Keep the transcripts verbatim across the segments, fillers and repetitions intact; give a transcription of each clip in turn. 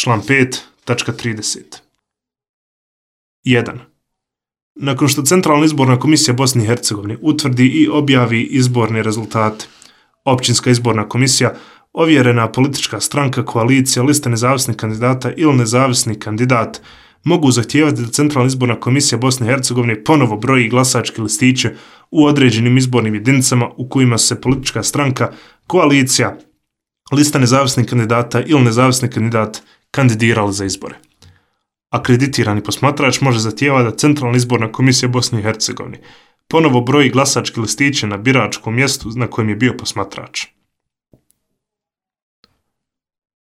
član pet, tačka trideset. jedan. Nakon što Centralna izborna komisija Bosne i Hercegovine utvrdi i objavi izborne rezultate, Općinska izborna komisija, ovjerena politička stranka, koalicija, lista nezavisnih kandidata ili nezavisni kandidat mogu zahtijevati da Centralna izborna komisija Bosne i Hercegovine ponovo broji glasačke listiće u određenim izbornim jedinicama u kojima se politička stranka, koalicija, lista nezavisnih kandidata ili nezavisni kandidat kandidirali za izbore. Akreditirani posmatrač može zahtijevati da Centralna izborna komisija Bosne i Hercegovine ponovo broji glasačke listiće na biračkom mjestu na kojem je bio posmatrač.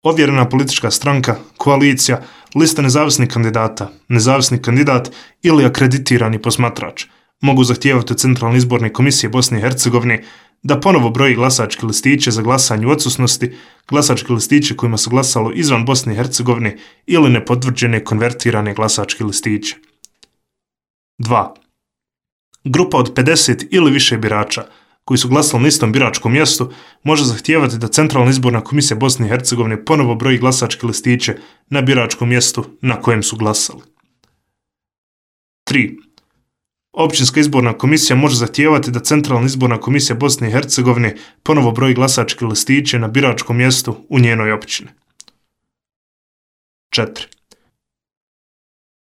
Ovjerena politička stranka, koalicija, lista nezavisnih kandidata, nezavisni kandidat ili akreditirani posmatrač mogu zahtijevati od Centralne izborne komisije Bosne i Hercegovine da ponovo broji glasačke listiće za glasanje u odsutnosti, glasačke listiće kojima se glasalo izvan Bosne i Hercegovine ili nepotvrđene konvertirane glasačke listiće. dva. Grupa od pedeset ili više birača koji su glasali na istom biračkom mjestu može zahtijevati da Centralna izborna komisija Bosne i Hercegovine ponovo broji glasačke listiće na biračkom mjestu na kojem su glasali. tri. Općinska izborna komisija može zahtijevati da Centralna izborna komisija Bosne i Hercegovine ponovo broji glasačke listiće na biračkom mjestu u njenoj općini. četiri.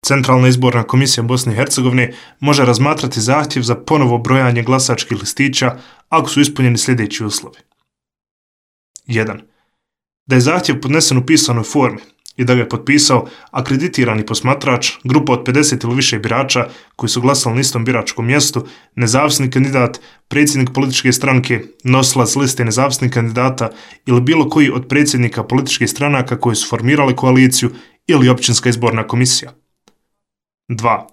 Centralna izborna komisija Bosne i Hercegovine može razmatrati zahtjev za ponovo brojanje glasačkih listića ako su ispunjeni sljedeći uslovi. jedan. Da je zahtjev podnesen u pisanoj formi i da ga je potpisao akreditirani posmatrač, grupa od pedeset ili više birača koji su glasali na istom biračkom mjestu, nezavisni kandidat, predsjednik političke stranke, nosilac liste nezavisnih kandidata ili bilo koji od predsjednika političkih stranaka koji su formirali koaliciju ili općinska izborna komisija. dva.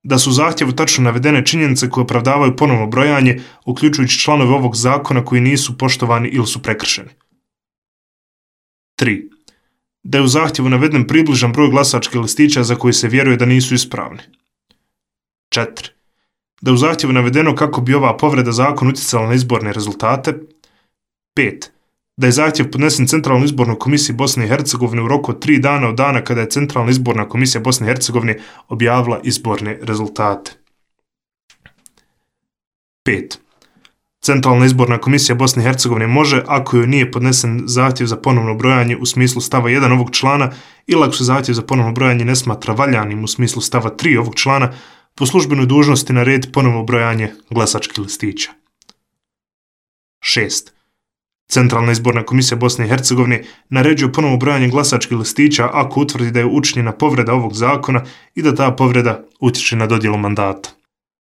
Da su u zahtjevu tačno navedene činjenice koje opravdavaju ponovno brojanje, uključujući članove ovog zakona koji nisu poštovani ili su prekršeni. tri. Da je u zahtjevu naveden približan broj glasačkih listića za koji se vjeruje da nisu ispravni. četiri. Da je u zahtjevu navedeno kako bi ova povreda zakona utjecala na izborne rezultate. pet. Da je zahtjev podnesen Centralnoj izbornoj komisiji Bosne i Hercegovine u roku od tri dana od dana kada je Centralna izborna komisija Bosne i Hercegovine objavila izborne rezultate. pet. Centralna izborna komisija Bosne i Hercegovine može, ako joj nije podnesen zahtjev za ponovno brojanje u smislu stava jedan ovog člana ili ako se zahtjev za ponovno brojanje ne smatra valjanim u smislu stava tri ovog člana, po službenoj dužnosti narediti ponovno brojanje glasačkih listića. šest. Centralna izborna komisija Bosne i Hercegovine naređuje ponovno brojanje glasačkih listića ako utvrdi da je učinjena povreda ovog zakona i da ta povreda utječe na dodjelu mandata.